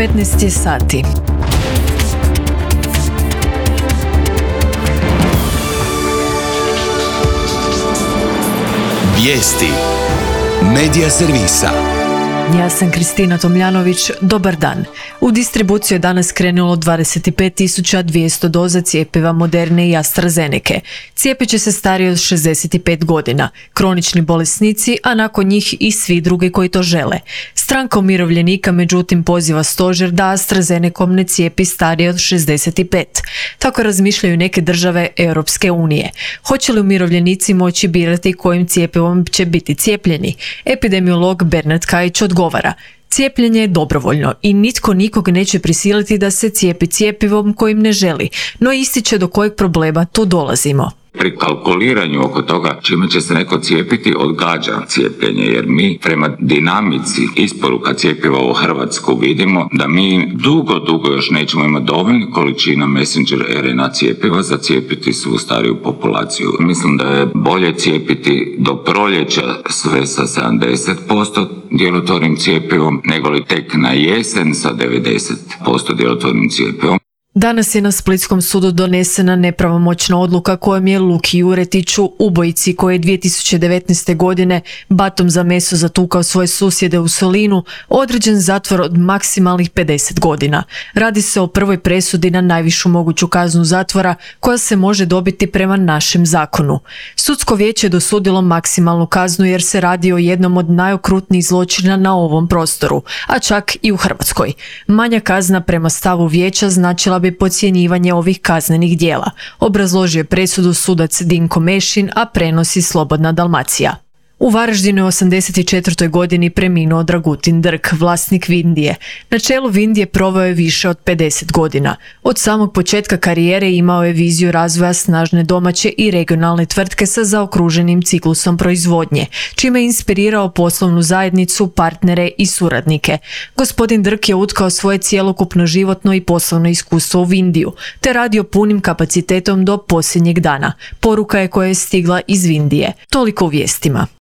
15 je sati. Vijesti Medija servisa. Ja sam Kristina Tomljanović, dobar dan. U distribuciju je danas krenulo 25.200 doza cjepiva Moderne i AstraZenece. Cijepit će se stariji od 65 godina, kronični bolesnici, a nakon njih i svi drugi koji to žele. Stranka umirovljenika međutim poziva stožer da AstraZenecom ne cijepi starije od 65. Tako razmišljaju neke države Europske unije. Hoće li umirovljenici moći birati kojim cijepivom će biti cijepljeni? Epidemiolog Bernard Kajić odgovara: cijepljenje je dobrovoljno i nitko nikog neće prisiliti da se cijepi cjepivom kojim ne želi, no ističe do kojeg problema tu dolazimo. Pri kalkuliranju oko toga čime će se neko cijepiti odgađa cijepljenje, jer mi prema dinamici isporuka cjepiva u Hrvatsku vidimo da mi dugo još nećemo imati dovoljno količina messenger RNA cjepiva za cijepiti svu stariju populaciju. Mislim da je bolje cijepiti do proljeća sve sa 70% djelotvornim cijepivom nego li tek na jesen sa 90% djelotvornim cijepivom. Danas je na Splitskom sudu donesena nepravomoćna odluka kojom je Luki Juretiću, ubojici koji je 2019. godine batom za meso zatukao svoje susjede u Solinu, određen zatvor od maksimalnih 50 godina. Radi se o prvoj presudi na najvišu moguću kaznu zatvora koja se može dobiti prema našem zakonu. Sudsko vijeće je dosudilo maksimalnu kaznu jer se radi o jednom od najokrutnijih zločina na ovom prostoru, a čak i u Hrvatskoj. Manja kazna prema stavu vijeća značila bi podcjenjivanje ovih kaznenih djela, obrazložio je presudu sudac Dinko Mešin, a prenosi Slobodna Dalmacija. U Varaždinu je 84. godini preminuo Dragutin Drk, vlasnik Vindije. Na čelu Vindije proveo je više od 50 godina. Od samog početka karijere imao je viziju razvoja snažne domaće i regionalne tvrtke sa zaokruženim ciklusom proizvodnje, čime je inspirirao poslovnu zajednicu, partnere i suradnike. Gospodin Drk je utkao svoje cjelokupno životno i poslovno iskustvo u Vindiju, te radio punim kapacitetom do posljednjeg dana. Poruka je koja je stigla iz Vindije. Toliko u vijestima.